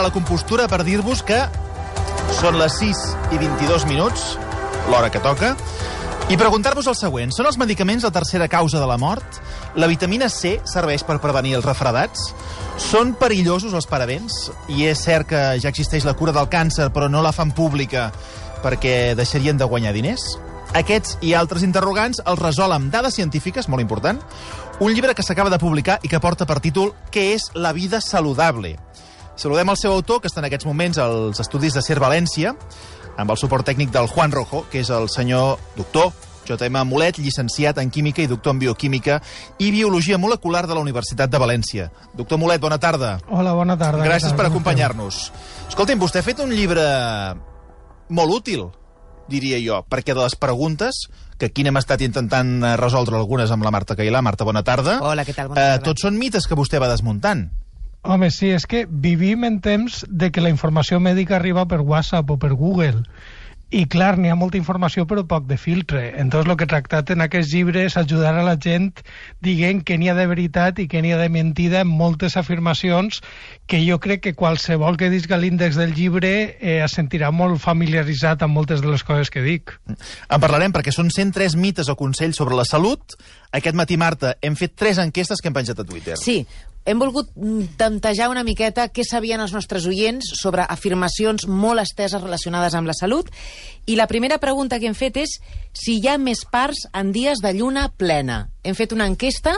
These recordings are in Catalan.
la compostura per dir-vos que són les 6 i 22 minuts, l'hora que toca, i preguntar-vos el següent. Són els medicaments la tercera causa de la mort? La vitamina C serveix per prevenir els refredats? Són perillosos els parabens? I és cert que ja existeix la cura del càncer, però no la fan pública perquè deixarien de guanyar diners? Aquests i altres interrogants els resol amb dades científiques, molt important, un llibre que s'acaba de publicar i que porta per títol «Què és la vida saludable?». Saludem el seu autor, que està en aquests moments als estudis de CER València, amb el suport tècnic del Juan Rojo, que és el senyor doctor J.M. Mulet, llicenciat en Química i doctor en Bioquímica i Biologia Molecular de la Universitat de València. Doctor Mulet, bona tarda. Hola, bona tarda. Gràcies per acompanyar-nos. Escolti'm, vostè ha fet un llibre molt útil, diria jo, perquè de les preguntes, que aquí n'hem estat intentant resoldre algunes amb la Marta Cailà. Marta, bona tarda. Hola, què tal? Bona tarda. Tots són mites que vostè va desmuntant. Home, sí, és que vivim en temps de que la informació mèdica arriba per WhatsApp o per Google. I clar, n'hi ha molta informació però poc de filtre. Entonces, el que he tractat en aquest llibre és ajudar a la gent dient què n'hi ha de veritat i què n'hi ha de mentida en moltes afirmacions que jo crec que qualsevol que disca l'índex del llibre es sentirà molt familiaritzat amb moltes de les coses que dic. En parlarem perquè són 103 mites o consells sobre la salut. Aquest matí, Marta, hem fet 3 enquestes que hem penjat a Twitter. Sí, hem volgut tantejar una miqueta què sabien els nostres oients sobre afirmacions molt esteses relacionades amb la salut. I la primera pregunta que hem fet és si hi ha més parts en dies de lluna plena. Hem fet una enquesta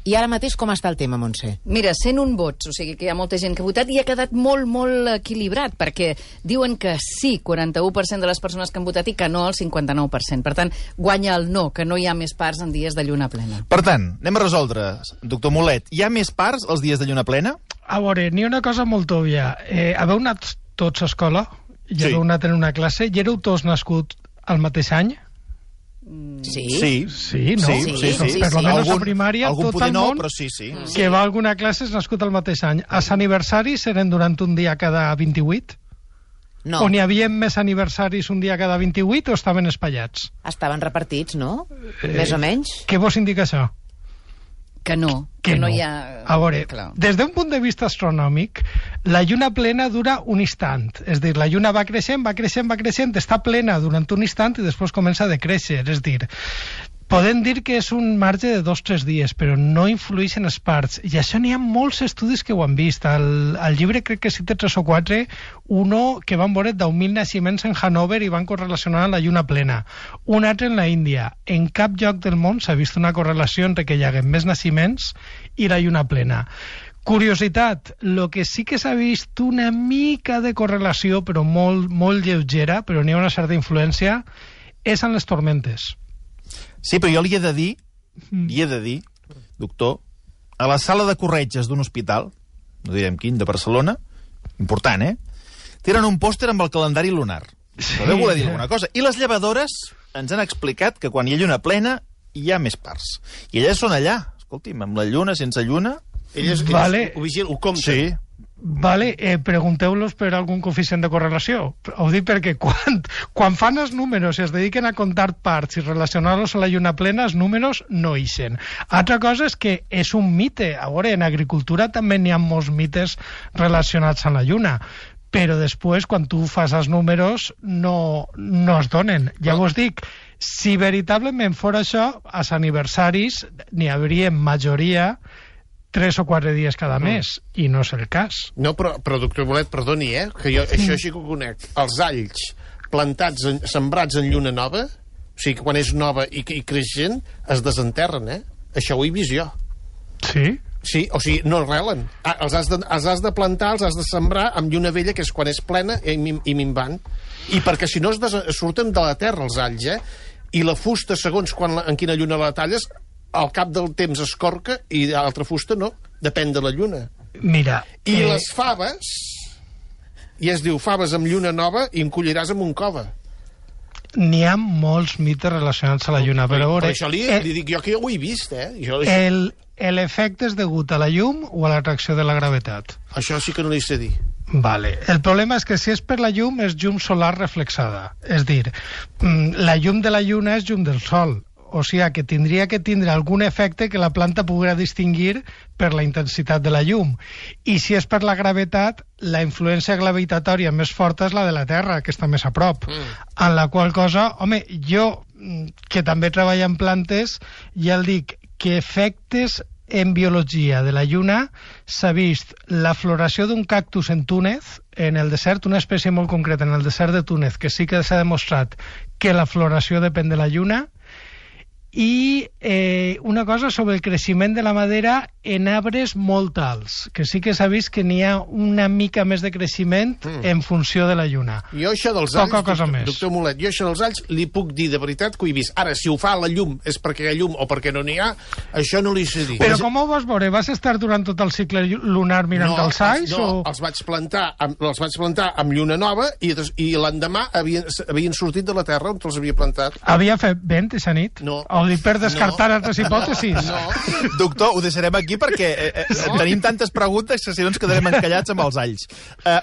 i ara mateix com està el tema, Montse? Mira, 101 vots, o sigui que hi ha molta gent que ha votat i ha quedat molt, molt equilibrat, perquè diuen que sí, 41% de les persones que han votat i que no el 59%. Per tant, guanya el no, que no hi ha més parts en dies de lluna plena. Per tant, anem a resoldre. Doctor Mulet, hi ha més parts els dies de lluna plena? A veure, n'hi ha una cosa molt òbvia. Haveu anat tots a escola? Ja haveu anat en una classe? I éreu tots nascuts al mateix any? Sí. Sí, no? Sí. Per almenys a primària, algun tot el no, món però sí. que va a alguna classe és nascut al mateix any. Els aniversaris eren durant un dia cada 28? No. O n'hi havia més aniversaris un dia cada 28 o estaven espaiats? Estaven repartits, no? Més o menys. Què vos indica això? Que no hi ha... A veure, Clar. des d'un punt de vista astronòmic, la lluna plena dura un instant. És dir, la lluna va creixent, està plena durant un instant i després comença a decréixer. És dir, podem dir que és un marge de 2 o 3 dies, però no influeix en les parts. I això n'hi ha molts estudis que ho han vist. Al llibre crec que cita 3 o 4, uno que van veure 10.000 naixements en Hannover i van correlacionar amb la lluna plena. Un altre en la Índia. En cap lloc del món s'ha vist una correlació entre que hi hagi més naixements i la lluna plena. Curiositat, el que sí que s'ha vist una mica de correlació, però molt, molt lleugera, però n'hi ha una certa influència, és en les tormentes. Sí, però jo li he de dir, doctor, a la sala de corretges d'un hospital, no direm quin, de Barcelona, important, tenen un pòster amb el calendari lunar. Sí. Però deu voler dir alguna cosa. I les llevadores ens han explicat que quan hi ha lluna plena hi ha més parts. I elles són allà, escolti'm, amb la lluna, sense lluna... Elles ho vigilen, ho compten. Sí. Vale, pregunteu-los per algun coeficient de correlació. Ho dic perquè quan fan els números i es dediquen a comptar parts i relacionar-los a la lluna plena, els números no ixen. Altra cosa és que és un mite. A veure, en agricultura també n'hi ha molts mites relacionats amb la lluna, però després, quan tu fas els números, no es donen. Llavors dic, si veritablement fos això, als aniversaris n'hi hauria majoria 3 o 4 dies cada mes, i no és el cas. No, però doctor Mulet, perdoni, que jo això sí que ho conec. Els alls plantats, sembrats en lluna nova, o sigui, quan és nova i creixent, es desenterren, Això ho he vist jo. Sí? Sí, o sigui, no arrelen. Els has de plantar, els has de sembrar amb lluna vella, que és quan és plena i minvant. I perquè si no surten de la terra els alls, i la fusta, segons en quina lluna la talles, al cap del temps es corca i l'altra fusta no, depèn de la lluna. Mira... I les faves, i es diu faves amb lluna nova i em colliràs amb un cove. N'hi ha molts mites relacionats a la lluna, però... Per això li dic jo que jo ho he vist, L'efecte és degut a la llum o a l'atracció de la gravetat? Això sí que no li sé dir. Vale. El problema és que si és per la llum, és llum solar reflexada. És dir, la llum de la lluna és llum del sol. o sigui que tindria que tindre algun efecte que la planta poguera distingir per la intensitat de la llum. I si és per la gravetat, la influència gravitatòria més forta és la de la Terra, que està més a prop. En la qual cosa, home, jo, que també treballo en plantes, ja el dic, que efectes en biologia de la lluna s'ha vist la floració d'un cactus en Túnez, en el desert, una espècie molt concreta en el desert de Túnez, que sí que s'ha demostrat que la floració depèn de la lluna, i una cosa sobre el creixement de la madera en arbres molt alts, que sí que s'ha vist que n'hi ha una mica més de creixement en funció de la lluna. Jo això dels alls, doctor Mulet, jo això dels alls li puc dir de veritat que ho he vist. Ara, si ho fa la llum és perquè hi ha llum o perquè no n'hi ha, això no li sé dir. Però com ho vas veure? Vas estar durant tot el cicle lunar mirant els alls? No, els vaig plantar amb lluna nova i l'endemà havien sortit de la terra on els havia plantat. Havia fet vent aquesta nit? No. O dic per descartar altres hipòtesis? No. Doctor, ho deixarem aquí perquè tenim tantes preguntes que si no ens quedarem encallats amb els alls.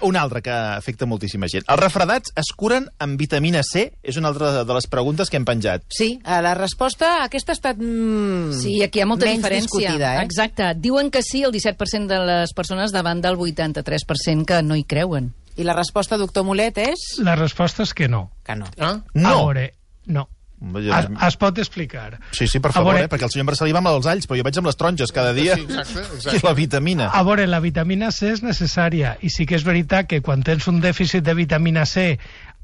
Una altra que afecta moltíssima gent. Els refredats es curen amb vitamina C? És una altra de les preguntes que hem penjat. Sí, la resposta aquesta ha estat sí, aquí hi ha molta diferència. Discutida, Exacte. Diuen que sí el 17% de les persones davant del 83% que no hi creuen. I la resposta, doctor Mulet, és? La resposta és que no. Que no. No? A veure, no. Es pot explicar. Sí, per favor, perquè el senyor Marcelí va amb els alls, però jo vaig amb les taronges cada dia. Sí, exacte. I la vitamina. A veure, la vitamina C és necessària, i sí que és veritat que quan tens un dèficit de vitamina C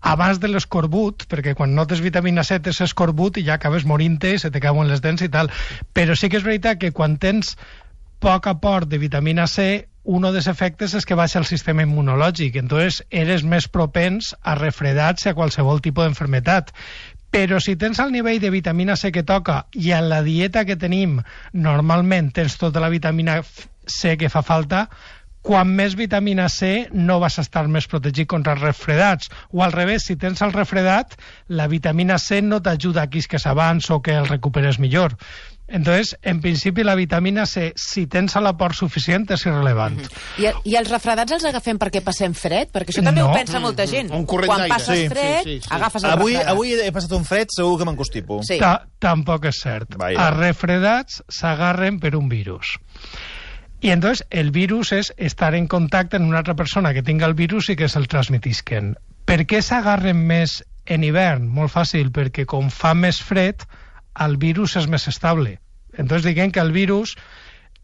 abans de l'escorbut, perquè quan no tens vitamina C tens escorbut i ja acabes morint-te, se te cauen les dents i tal, però sí que és veritat que quan tens poc aport de vitamina C, un dels efectes és que baixa el sistema immunològic, entonces eres més propens a refredats i a qualsevol tipus d'enfermetat. Però si tens el nivell de vitamina C que toca i en la dieta que tenim normalment tens tota la vitamina C que fa falta, quan més vitamina C no vas estar més protegit contra els refredats. O al revés, si tens el refredat, la vitamina C no t'ajuda a que s'avanci o que el recuperes millor. Entonces, en principi, la vitamina C, si tens l'aport suficient, és irrellevant. I els refredats els agafem perquè passem fred? Perquè això també ho pensa molta gent. Un corrent Quan d'aire. passes fred, agafes el refredat. Avui he passat un fred, segur que m'encostipo. Sí. Tampoc és cert. Els refredats s'agarren per un virus. I entonces el virus és estar en contacte amb una altra persona que tinga el virus i que se'l transmetisquen. Per què s'agarren més en hivern? Molt fàcil, perquè com fa més fred, el virus és més estable. Entonces diguem que el virus,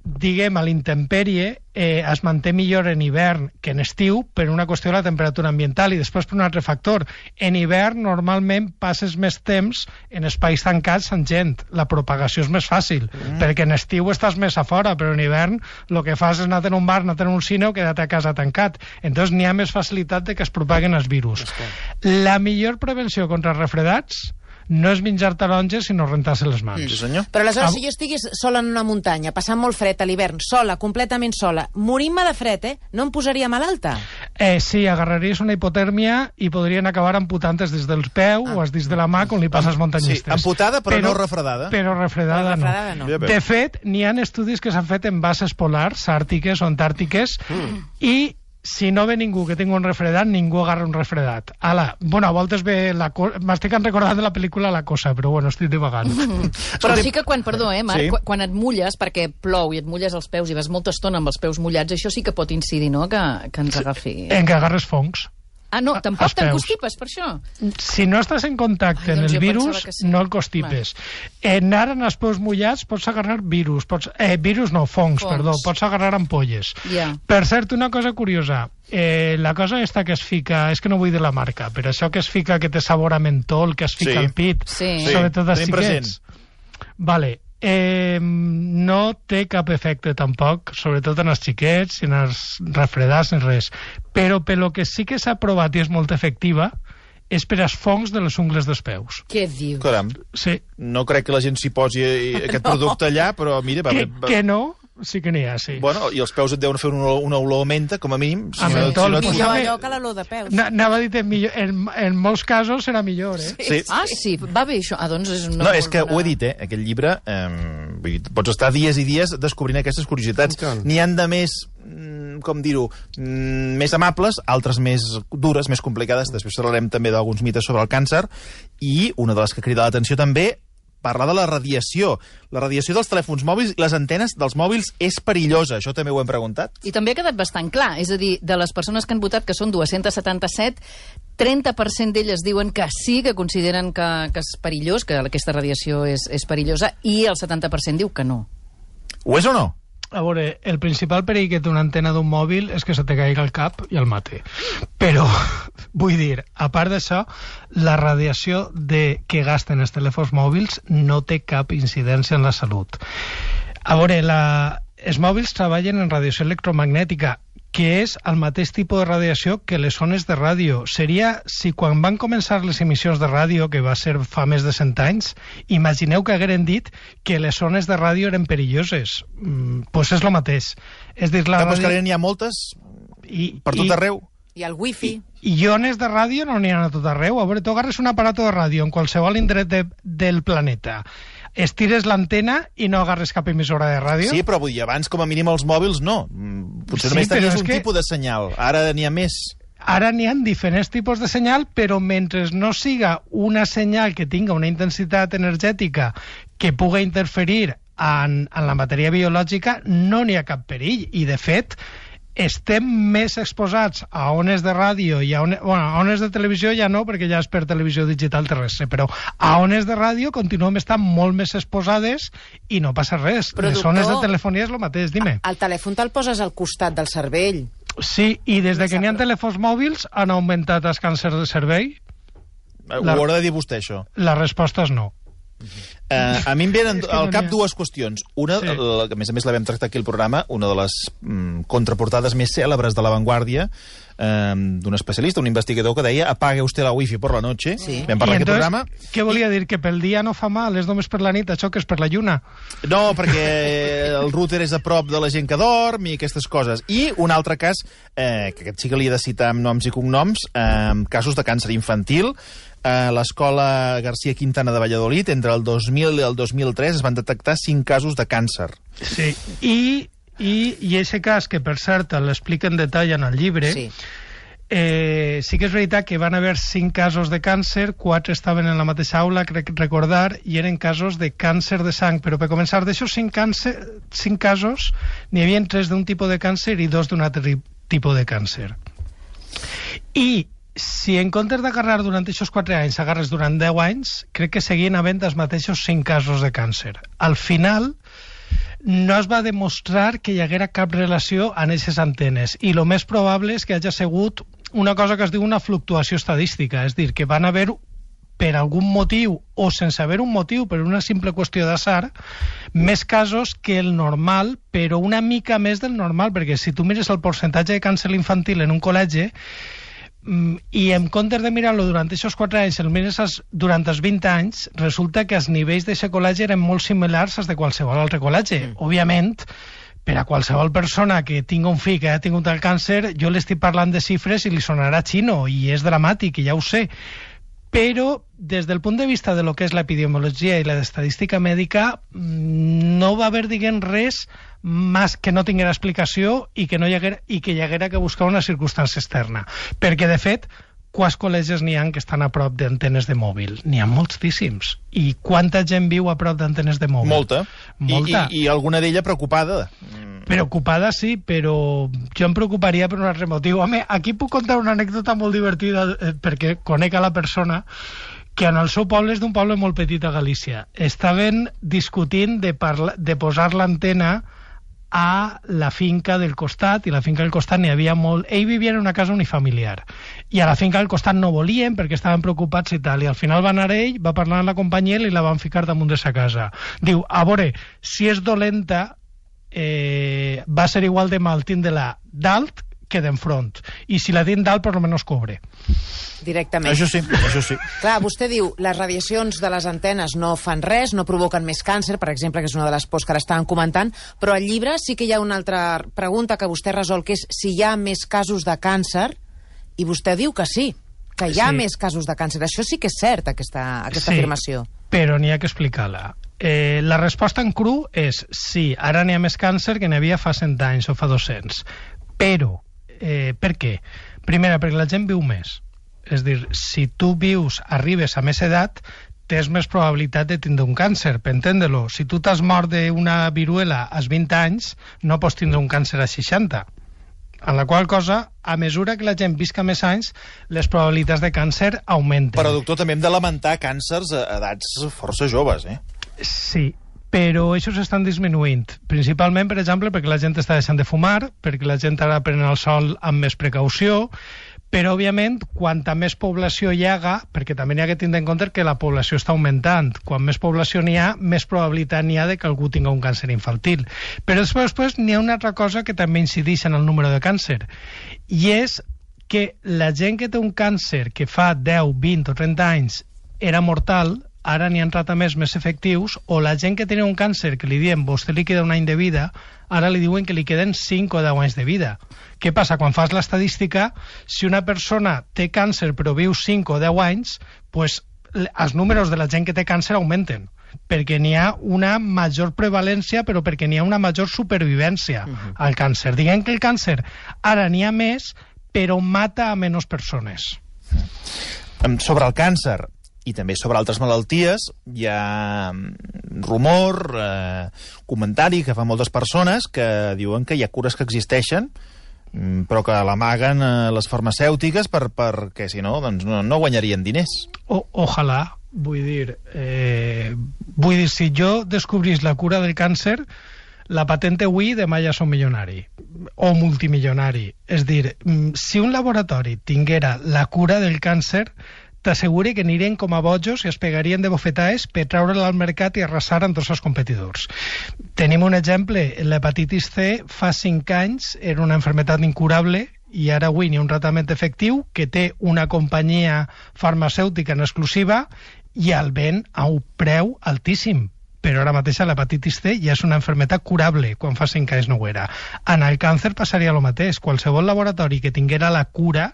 a l'intempèrie, es manté millor en hivern que en estiu per una qüestió de la temperatura ambiental i després per un altre factor. En hivern normalment passes més temps en espais tancats amb gent. La propagació és més fàcil, perquè en estiu estàs més a fora, però en hivern el que fas és anar a un bar, anar a un cine o quedar-te a casa tancat. Entonces n'hi ha més facilitat de que es propaguen els virus. La millor prevenció contra els refredats no és menjar taronges, sinó rentar-se les mans. Sí, senyor. Però aleshores, si jo estigués sola en una muntanya, passant molt fred a l'hivern, sola, completament sola, morint-me de fred, no em posaria malalta? Sí, agarraries una hipotèrmia i podrien acabar amputant-te des dels peus o els dits de la mà, com li passa als muntanyistes. Sí, amputada, però no refredada. Però refredada no. De fet, n'hi ha estudis que s'han fet en bases polars, àrtiques o antàrtiques, i si no ve ningú que tingui un refredat, ningú agarra un refredat. A voltes ve m'estic recordant de la pel·lícula La Cosa, però bueno, estic divagant. Però sí que Marc, quan et mulles, perquè plou i et mulles els peus i vas molta estona amb els peus mullats, això sí que pot incidir, no?, que ens agafi. En que agarres fongs. Ah, no, tampoc t'encostipes per això? Si no estàs en contacte amb el virus, no el constipes. Ara en els peus mullats pots agarrar virus, fongs, pots agarrar ampolles. Per cert, una cosa curiosa, la cosa aquesta que es fica, és que no vull dir la marca, però això que es fica, que té sabor a mentol, que es fica al pit, sobretot als xiquets. Vale. No té cap efecte tampoc, sobretot en els xiquets, en els refredats, ni res. Però pel que sí que s'ha provat i és molt efectiva és per als fongs de les ungles dels peus. Què dius? Caram, sí. No crec que la gent s'hi posi aquest producte allà, però mira... Que no? Sí que n'hi ha, sí. Bueno, i els peus et deuen fer una olor menta, com a mínim. Millor allò que l'olor de peus. Anava a dir que en molts casos serà millor, eh? Sí. Ah, sí, va bé això. Doncs és una... No, és que ho he dit, aquest llibre, pots estar dies i dies descobrint aquestes curiositats. N'hi han de més, com dir-ho, més amables, altres més dures, més complicades. Després parlarem també d'alguns mites sobre el càncer, i una de les que crida l'atenció també, parla de la radiació. La radiació dels telèfons mòbils i les antenes dels mòbils és perillosa. Això també ho hem preguntat. I també ha quedat bastant clar. És a dir, de les persones que han votat, que són 277, 30% d'elles diuen que sí, que consideren que és perillós, que aquesta radiació és perillosa, i el 70% diu que no. Ho és o no? A veure, el principal perill que té una antena d'un mòbil és que se te caigui al cap i el mate. Però, vull dir, a part d'això, la radiació que gasten els telèfons mòbils no té cap incidència en la salut. A veure, els mòbils treballen en radiació electromagnètica, que és el mateix tipus de radiació que les ones de ràdio. Seria, si quan van començar les emissions de ràdio, que va ser fa més de 100 anys, imagineu que hagueren dit que les ones de ràdio eren perilloses. Pues és el mateix. És dir, la ràdio... que n'hi ha moltes per tot arreu. I el wifi. I ones de ràdio no n'hi ha a tot arreu. A veure, tu agarres un aparato de ràdio en qualsevol indret del planeta, estires l'antena i no agarres cap emissora de ràdio? Sí, però vull dir, abans com a mínim els mòbils no. Potser només tenies un tipus de senyal. Ara n'hi ha més. Ara n'hi ha diferents tipus de senyal, però mentre no siga una senyal que tinga una intensitat energètica que pugui interferir en la matèria biològica, no n'hi ha cap perill. I, de fet, estem més exposats a ones de ràdio i a ones de televisió ja no, perquè ja és per televisió digital terrestre, però a ones de ràdio continuem estant molt més exposades i no passa res. Però, les ones de telefonia és el mateix, dime. El telèfon te'l poses al costat del cervell. Sí, i des de que n'hi ha telèfons mòbils han augmentat els càncers de cervell? Ho haurà de dir vostè, això. La resposta és no. A mi em venen al cap dues qüestions. Una, que a més l'havem tractat aquí al programa, una de les contraportades més cèlebres de La Vanguardia, d'un especialista, un investigador que deia apague usted la wifi por la noche. Sí. Vam parlar aquí al programa. Què volia dir? Que pel dia no fa mal, és només per la nit, això que és per la lluna? No, perquè el router és a prop de la gent que dorm i aquestes coses. I un altre cas, que aquest sí que li he de citar amb noms i cognoms, casos de càncer infantil. A l'escola García Quintana de Valladolid, entre el 2000 i el 2003, es van detectar 5 casos de càncer. Sí, i aquest cas, que per cert l'explica en detall en el llibre, sí que és veritat que van haver 5 casos de càncer, 4 estaven en la mateixa aula, crec recordar, i eren casos de càncer de sang, però per començar, d'aixòs 5 casos, n'hi havia 3 d'un tipus de càncer i 2 d'un altre tipus de càncer. I si en comptes d'agarrar durant aquests 4 anys agarres durant 10 anys, crec que seguien havent els mateixos 5 casos de càncer. Al final no es va demostrar que hi haguera cap relació en aquestes antenes, i el més probable és que hagi sigut una cosa que es diu una fluctuació estadística, és dir, que van haver, per algun motiu o sense haver un motiu, per una simple qüestió d'atzar, més casos que el normal, però una mica més del normal, perquè si tu mires el percentatge de càncer infantil en un col·legi, i en comptes de mirar-lo durant aquests 4 anys, el mires durant els 20 anys, resulta que els nivells d'aquest col·legi eren molt similars als de qualsevol altre col·legi. Òbviament, per a qualsevol persona que tingui un fill que ha tingut el càncer, jo l'estic parlant de xifres i li sonarà xino, i és dramàtic, i ja ho sé. Però, des del punt de vista de lo que és l'epidemiologia i l'estadística mèdica, no va haver, diguem, res més que no tinguera explicació i que hi haguera que buscar una circumstància externa. Perquè, de fet, quants col·legis n'hi ha que estan a prop d'antenes de mòbil? N'hi ha moltíssims. I quanta gent viu a prop d'antenes de mòbil? Molta. I alguna d'ella preocupada. Preocupada, sí, però jo em preocuparia per un altre motiu. Home, aquí puc contar una anècdota molt divertida, perquè conec a la persona que en el seu poble, és d'un poble molt petit a Galícia, estaven discutint de posar l'antena a la finca del costat, i la finca del costat n'hi havia molt. Ell vivia en una casa unifamiliar, i a la finca del costat no volien perquè estaven preocupats i tal, i al final va anar ell, va parlar amb la companyia i la van ficar damunt de sa casa. Diu, a veure, si és dolenta, va ser igual de mal tindre-la dalt que d'enfront, i si la tinc dalt per almenys cobre. Directament. Això sí, això sí. Clar, vostè diu, les radiacions de les antenes no fan res, no provoquen més càncer, per exemple, que és una de les pors que ara estaven comentant, però al llibre sí que hi ha una altra pregunta que vostè resol, que és si hi ha més casos de càncer, i vostè diu que sí, que hi ha més casos de càncer. Això sí que és cert, aquesta afirmació. Però n'hi ha que explicar-la. La resposta en cru és sí, ara n'hi ha més càncer que n'hi havia fa 100 anys o fa 200. Però, per què? Primera, perquè la gent viu més. És dir, si tu arribes a més edat, tens més probabilitat de tindre un càncer, per entendre-lo. Si tu t'has mort d'una viruela als 20 anys, no pots tindre un càncer a 60. En la qual cosa, a mesura que la gent visca més anys, les probabilitats de càncer augmenten. Però, doctor, també hem de lamentar càncers a edats força joves, eh? Sí, però això s'estan disminuint. Principalment, per exemple, perquè la gent està deixant de fumar, perquè la gent ara pren el sol amb més precaució, però, òbviament, quanta més població hi haga, perquè també n'hi ha que tindre en compte que la població està augmentant. Quan més població n'hi ha, més probabilitat n'hi ha de que algú tingui un càncer infantil. Però després n'hi ha una altra cosa que també incideix en el número de càncer, i és que la gent que té un càncer que fa 10, 20 o 30 anys era mortal, ara n'hi ha tractaments més efectius, o la gent que tenia un càncer que li diem vostè li queda un any de vida, ara li diuen que li queden 5 o 10 anys de vida. Què passa? Quan fas l'estadística, si una persona té càncer però viu 5 o 10 anys, pues, els números de la gent que té càncer augmenten, perquè n'hi ha una major prevalència, però perquè n'hi ha una major supervivència al càncer. Diguem que el càncer ara n'hi ha més, però mata a menys persones. Sobre el càncer i també sobre altres malalties, hi ha rumor, comentari que fan moltes persones que diuen que hi ha cures que existeixen, però que l'amaguen les farmacèutiques perquè, si no, doncs no guanyarien diners. Ojalà, vull dir, si jo descobrís la cura del càncer, la patente avui, demà ja som milionari o multimilionari. És dir, si un laboratori tinguera la cura del càncer, t'asseguri que anirien com a bojos i es pegarien de bofetades per treure-la al mercat i arrasar amb tots els competidors. Tenim un exemple, l'hepatitis C fa 5 anys era una malaltia incurable i ara avui n'hi ha un tractament efectiu que té una companyia farmacèutica en exclusiva i el ven a un preu altíssim. Però ara mateix l'hepatitis C ja és una malaltia curable, quan fa 5 anys no ho era. En el càncer passaria el mateix. Qualsevol laboratori que tinguera la cura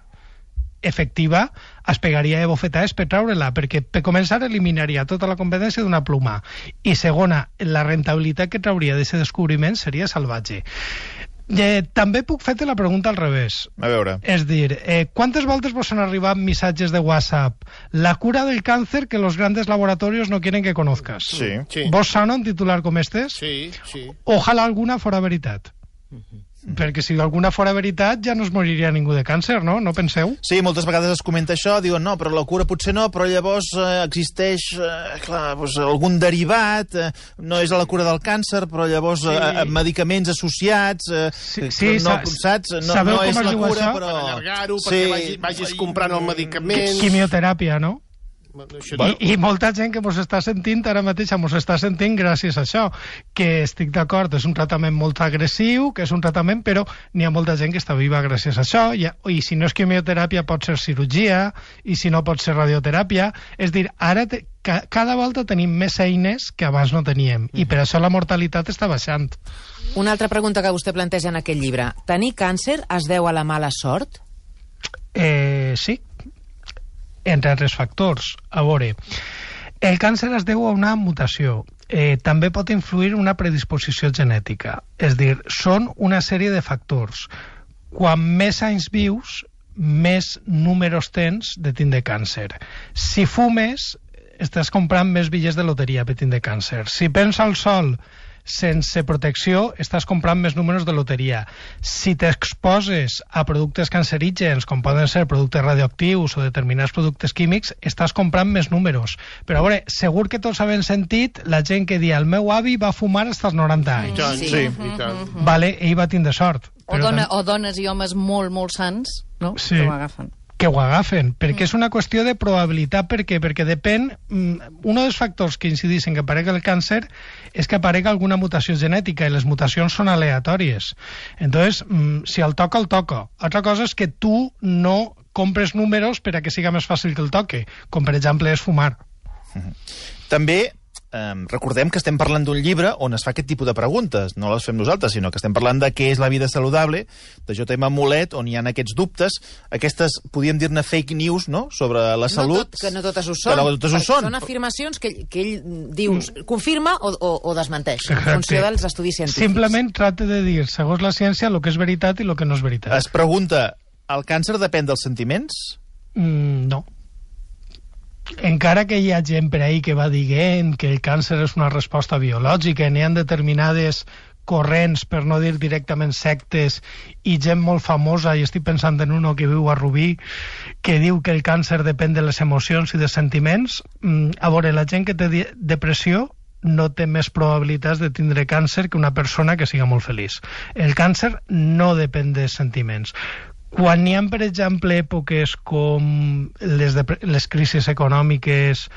efectiva es pegaria de bofetades per treure-la, perquè per començar eliminaria tota la competència d'una pluma, i segona, la rentabilitat que trauria d'aquest descobriment seria salvatge. També puc fer-te la pregunta al revés. A veure. És dir, quantes voltes vos han arribat missatges de WhatsApp? La cura del càncer que los grandes laboratorios no quieren que conozcas. Sí. Vos sona un titular com estes? Sí. Ojalà alguna fora veritat. Perquè si alguna fora veritat ja no es moriria ningú de càncer, no? No penseu? Sí, moltes vegades es comenta això, diuen no, però la cura potser no, però llavors existeix doncs, algun derivat, no és la cura del càncer, però llavors medicaments associats, saps? No és la cura, això? Per allargar-ho, perquè vagis comprant el medicament... Quimioteràpia, no? I molta gent que mos està sentint ara mateix mos està sentint gràcies a això, que estic d'acord, és un tractament molt agressiu, que és un tractament, però n'hi ha molta gent que està viva gràcies a això, i si no és quimioteràpia pot ser cirurgia, i si no pot ser radioteràpia. És dir, ara cada volta tenim més eines que abans no teníem, i per això la mortalitat està baixant. Una altra pregunta que vostè planteja en aquest llibre. Tenir càncer es deu a la mala sort? Sí, entre altres factors. A veure, el càncer es deu a una mutació. També pot influir una predisposició genètica. És dir, són una sèrie de factors. Quan més anys vius, més números tens de tindre càncer. Si fumes, estàs comprant més bitllets de loteria per tindre càncer. Si pensa al sol sense protecció, estàs comprant més números de loteria. Si t'exposes a productes cancerígens, com poden ser productes radioactius o determinats productes químics, estàs comprant més números. Però a veure, segur que tots havem sentit la gent que dia el meu avi va fumar fins als 90 anys. Sí. Vale, ell va tindre sort. O dones i homes molt, molt sants, no? Sí. Que ho agafen. Que ho agafen, perquè és una qüestió de probabilitat. Per què? Perquè depèn... Un dels factors que incideixen que aparegui el càncer és que aparegui alguna mutació genètica, i les mutacions són aleatòries. Entonces, si el toca, el toca. Altra cosa és que tu no compres números per a que siga més fàcil que el toque, com per exemple és fumar. També recordem que estem parlant d'un llibre on es fa aquest tipus de preguntes. No les fem nosaltres, sinó que estem parlant de què és la vida saludable, de J.M. Molet, on hi ha aquests dubtes, aquestes, podríem dir-ne fake news, no?, sobre la salut. Que no totes ho són. No totes ho són. Són afirmacions que ell diu, confirma o desmenteix, en funció dels estudis científics. Simplement tracta de dir, segons la ciència, el que és veritat i el que no és veritat. Es pregunta, el càncer depèn dels sentiments? No. encara que hi ha gent per ahí que va dient que el càncer és una resposta biològica, n'hi ha determinades corrents, per no dir directament sectes, i gent molt famosa, i estic pensant en uno que viu a Rubí, que diu que el càncer depèn de les emocions i dels sentiments. A veure, la gent que té depressió no té més probabilitats de tindre càncer que una persona que siga molt feliç. El càncer no depèn dels sentiments. Quan hi ha, per exemple, èpoques com les crisis econòmiques,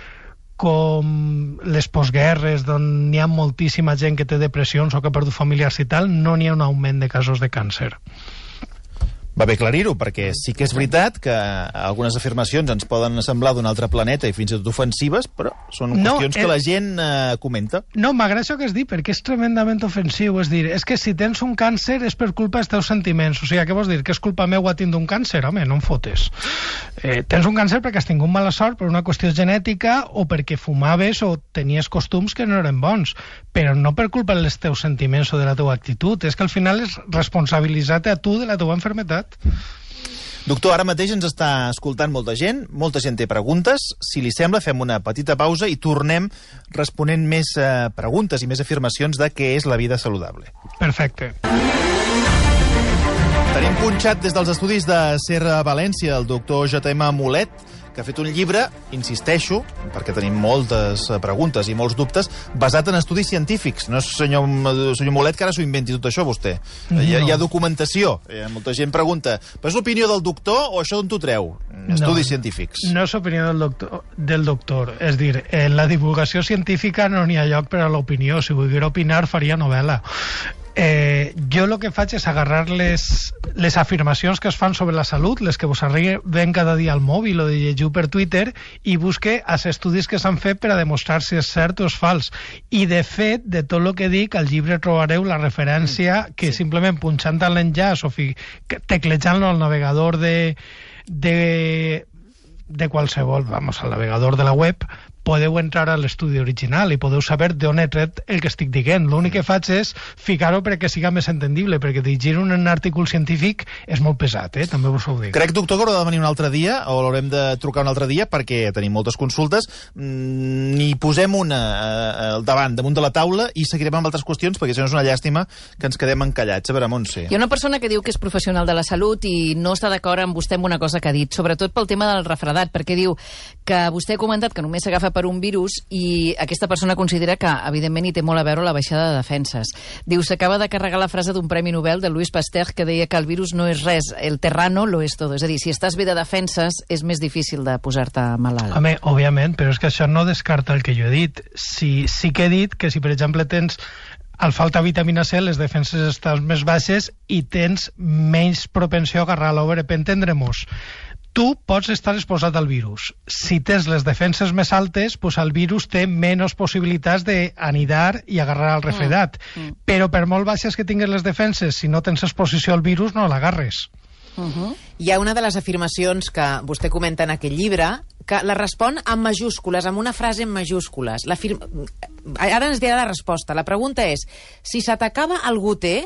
com les postguerres, on hi ha moltíssima gent que té depressions o que ha perdut familiars i tal, no n'hi ha un augment de casos de càncer. Va bé aclarir-ho, perquè sí que és veritat que algunes afirmacions ens poden semblar d'un altre planeta i fins i tot ofensives, però són qüestions que la gent comenta. No, m'agrada això que has dit, perquè és tremendament ofensiu. És dir, és que si tens un càncer és per culpa dels teus sentiments. O sigui, què vols dir? Que és culpa meua tindre un càncer? Home, no em fotes. Tens un càncer perquè has tingut mala sort per una qüestió genètica o perquè fumaves o tenies costums que no eren bons, però no per culpa dels teus sentiments o de la teua actitud. És que al final és responsabilitzar-te a tu de la teua enfermetat. Doctor, ara mateix ens està escoltant molta gent té preguntes. Si li sembla, fem una petita pausa i tornem responent més preguntes i més afirmacions de què és la vida saludable. Perfecte. Tenim punxat des dels estudis de SER València el doctor J.M. Mulet, que ha fet un llibre, insisteixo, perquè tenim moltes preguntes i molts dubtes, basat en estudis científics. No és senyor Mulet que ara s'ho inventi tot això, vostè. No. Hi ha documentació. Molta gent pregunta, però és l'opinió del doctor o això d'on t'ho treu? Estudis científics. No és l'opinió del doctor. És dir, en la divulgació científica no n'hi ha lloc per a l'opinió. Si volguera opinar, faria novel·la. Jo el que faig és agarrar les afirmacions que es fan sobre la salut, les que vos arriben cada dia al mòbil o de llegiu per Twitter, i busque els estudis que s'han fet per a demostrar si és cert o és fals. I de fet, de tot el que dic, al llibre trobareu la referència que simplement punxant en l'enllaç o teclejant-lo al navegador de qualsevol, al navegador de la web, podeu entrar a l'estudi original i podeu saber d'on he tret el que estic dient. L'únic que faig és ficar-ho perquè siga més entendible, perquè dirigir un article científic és molt pesat, també us ho dic. Crec, doctor, que haurà de venir un altre dia, o l'haurem de trucar un altre dia, perquè tenim moltes consultes. N'hi posem una damunt de la taula i seguirem amb altres qüestions, perquè si no és una llàstima que ens quedem encallats. A veure, Montse. Hi ha una persona que diu que és professional de la salut i no està d'acord amb vostè amb una cosa que ha dit, sobretot pel tema del refredat, perquè diu que vostè ha comentat que només s'agafa per un virus i aquesta persona considera que, evidentment, hi té molt a veure la baixada de defenses. Diu, s'acaba de carregar la frase d'un Premi Nobel de Louis Pasteur que deia que el virus no és res, el terrano lo és todo. És a dir, si estàs bé de defenses, és més difícil de posar-te malalt. Home, òbviament, però és que això no descarta el que jo he dit. Sí que he dit que si, per exemple, tens al falta vitamina C, les defenses estan més baixes i tens menys propensió a agarrar-la. Per entendre-nos, tu pots estar exposat al virus. Si tens les defenses més altes, pues el virus té menys possibilitats d'anidar i agarrar el refredat. Però per molt baixes que tingues les defenses, si no tens exposició al virus, no l'agarres. Hi ha una de les afirmacions que vostè comenta en aquest llibre que la respon amb majúscules, amb una frase en majúscules. Ara ens dirà la resposta. La pregunta és, si se t'acaba el goter,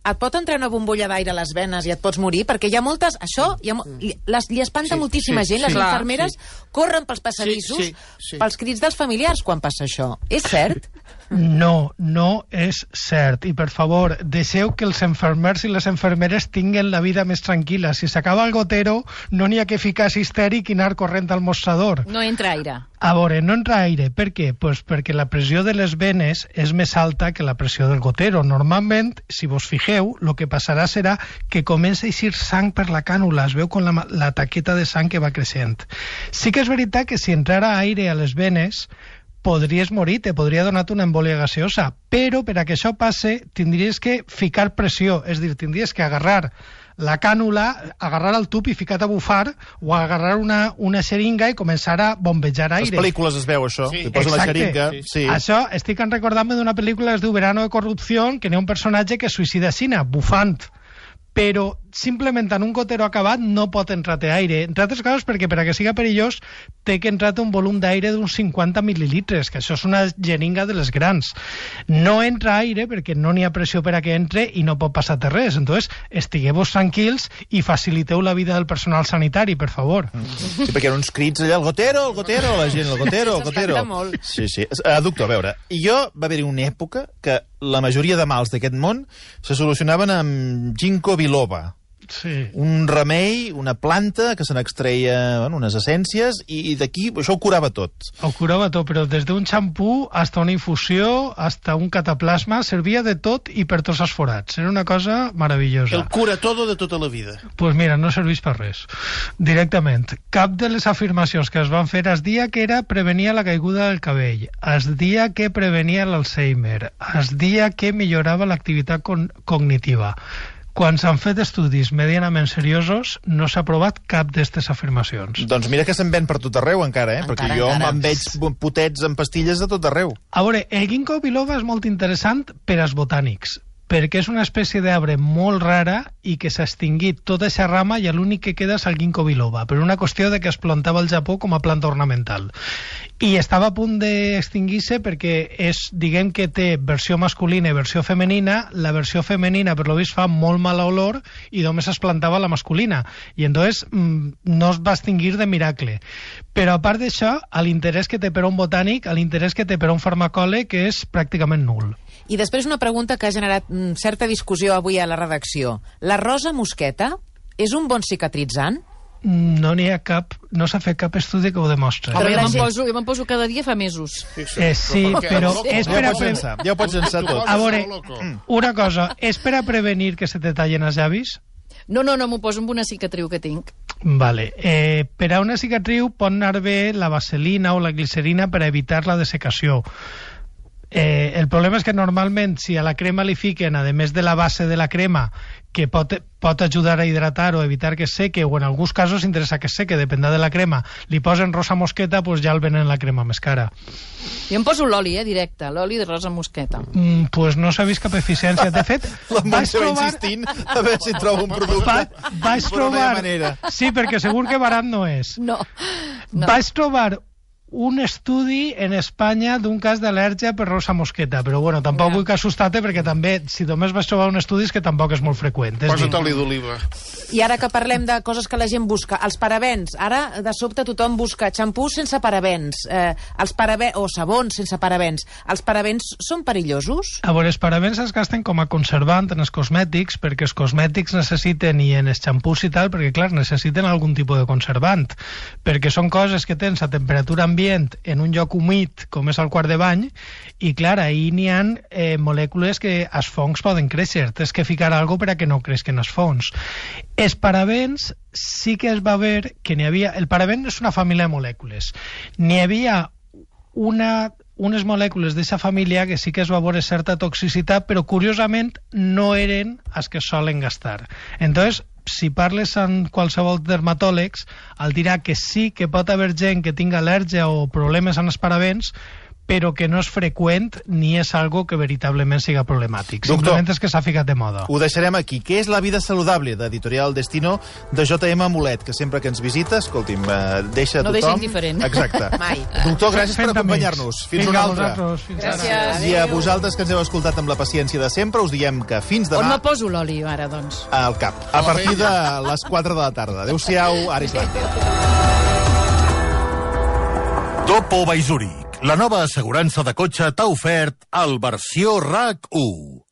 et pot entrar una bombolla d'aire a les venes i et pots morir? Perquè hi ha moltes... Això li espanta moltíssima gent. Les infermeres corren pels passadissos pels crits dels familiars quan passa això. És cert? No, no és cert. I, per favor, deixeu que els infermers i les infermeres tinguen la vida més tranquil·la. Si s'acaba el gotero, no n'hi ha que ficar-se histèric i anar corrent al mostrador. No entra aire. A veure, no entra aire. Per què? Pues perquè la pressió de les venes és més alta que la pressió del gotero. Normalment, si vos fixeu, el que passarà serà que comença a eixir sang per la cànula. Es veu com la taqueta de sang que va creixent. Sí que és veritat que si entrara aire a les venes, podries morir, te podria donar una embòlia gaseosa, però per a que això passe tindries que ficar pressió, és a dir, tindries que agarrar la cànula, agarrar el tub i ficar-te a bufar, o agarrar una xeringa i començar a bombejar aire. Les pel·lícules es veu això, sí, li posa una xeringa. Sí. Això estic recordant-me d'una pel·lícula que es diu Verano de corrupció, que n'hi ha un personatge que es suïcida aixina, bufant. Però simplement en un gotero acabat no pot entrar-te aire, entre altres coses perquè per a que siga perillós té que entrar-te un volum d'aire d'uns 50 mil·lilitres, que això és una jeringa de les grans. No entra aire perquè no n'hi ha pressió per a que entre i no pot passar-te res. Entonces, estigueu-vos tranquils i faciliteu la vida del personal sanitari, per favor. Sí, perquè hi ha uns crits allà, el gotero, la gent, el gotero. S'espanta molt. Sí. Doctor, a veure, va haver-hi una època que la majoria de mals d'aquest món se solucionaven amb ginkgo biloba. Sí. Un remei, una planta que se n'extreia unes essències i d'aquí això ho curava tot. Ho curava tot, però des d'un xampú hasta una infusió, hasta un cataplasma, servia de tot i per tots els forats. Era una cosa meravellosa. El cura todo de tota la vida. Pues mira, no serveix per res. Directament. Cap de les afirmacions que es van fer es dia que era prevenia la caiguda del cabell, es dia que prevenia l'Alzheimer, es dia que millorava l'activitat cognitiva. Quan s'han fet estudis medianament seriosos, no s'ha provat cap d'aquestes afirmacions. Doncs mira que se'n ven per tot arreu encara, perquè jo me'n veig potets en pastilles de tot arreu. A veure, el ginkgo biloba és molt interessant per als botànics, perquè és una espècie d'arbre molt rara i que s'ha extingit tota aquesta rama i l'únic que queda és el ginkgo biloba, per una qüestió de que es plantava al Japó com a planta ornamental. I estava a punt d'extingir-se perquè diguem que té versió masculina i versió femenina. La versió femenina, per lo vist, fa molt mala olor i només es plantava la masculina. I entonces no es va extingir de miracle. Però a part d'això, l'interès que té per a un botànic, l'interès que té per a un farmacòleg és pràcticament nul. I després una pregunta que ha generat certa discussió avui a la redacció. La rosa mosqueta és un bon cicatritzant? No n'hi ha cap, no s'ha fet cap estudi que ho demostri. Però jo me'n poso cada dia fa mesos. Sí, però és per a... Ja ho pots llançar tot. A veure, una cosa, és per a prevenir que se te tallen els llavis? No, m'ho poso amb una cicatriu que tinc. Vale. Per a una cicatriu pot anar bé la vaselina o la glicerina per a evitar la dessecació. El problema és que normalment si a la crema li fiquen, a més de la base de la crema, que pot ajudar a hidratar o evitar que es seque, o en alguns casos interessa que es seque, depèn de la crema, li posen rosa mosqueta, pues ja el venen la crema més cara. Jo em poso l'oli, directe, l'oli de rosa mosqueta. Pues no s'ha vist cap eficiència. De fet, la Montse va insistint a veure si troba un producte. Vaig trobar... Sí, perquè segur que barat no és. No. Vaig trobar un estudi en Espanya d'un cas d'al·lèrgia per rosa mosqueta, però bueno, tampoc vull que assustar-te perquè també, si només vas trobar un estudi és que tampoc és molt freqüent. Posa't oli d'oliva. I ara que parlem de coses que la gent busca, els parabens, ara de sobte tothom busca xampús sense parabens, o sabons sense parabens. Els parabens són perillosos? A veure, els parabens es gasten com a conservant en els cosmètics, perquè els cosmètics necessiten, i en els xampús i tal, perquè clar, necessiten algun tipus de conservant, perquè són coses que tens a temperatura ambient en un lloc humit com és el quart de bany i clar, ahir n'hi ha molècules que els fongs poden créixer, tens que ficar alguna cosa per a que no creixen els fongs. Els parabens sí que es va veure que n'hi havia... El paraben és una família de molècules. N'hi havia unes molècules d'aquesta família que sí que es va veure certa toxicitat, però curiosament no eren els que solen gastar. Entonces, si parles amb qualsevol dermatòlegs, el dirà que sí que pot haver gent que tinga al·lèrgia o problemes amb els parabens, però que no és freqüent ni és algo que veritablement siga problemàtic. Doctor, simplement és que s'ha ficat de moda. Ho deixarem aquí. Què és La vida saludable, d'Editorial Destino, de J.M. Mulet, que sempre que ens visita, escolti'm, deixa no tothom... deixa indiferent. Exacte. Mai. Doctor, gràcies per acompanyar-nos. Fins una altra. Gràcies. I a vosaltres que ens heu escoltat amb la paciència de sempre, us diem que fins demà... On me poso l'oli, ara, doncs? Al cap. A partir de les 4 de la tarda. Adéu-siau, ara Islàndia. Topo by Zurich. La nova assegurança de cotxe t'ha ofert el versió RAC 1.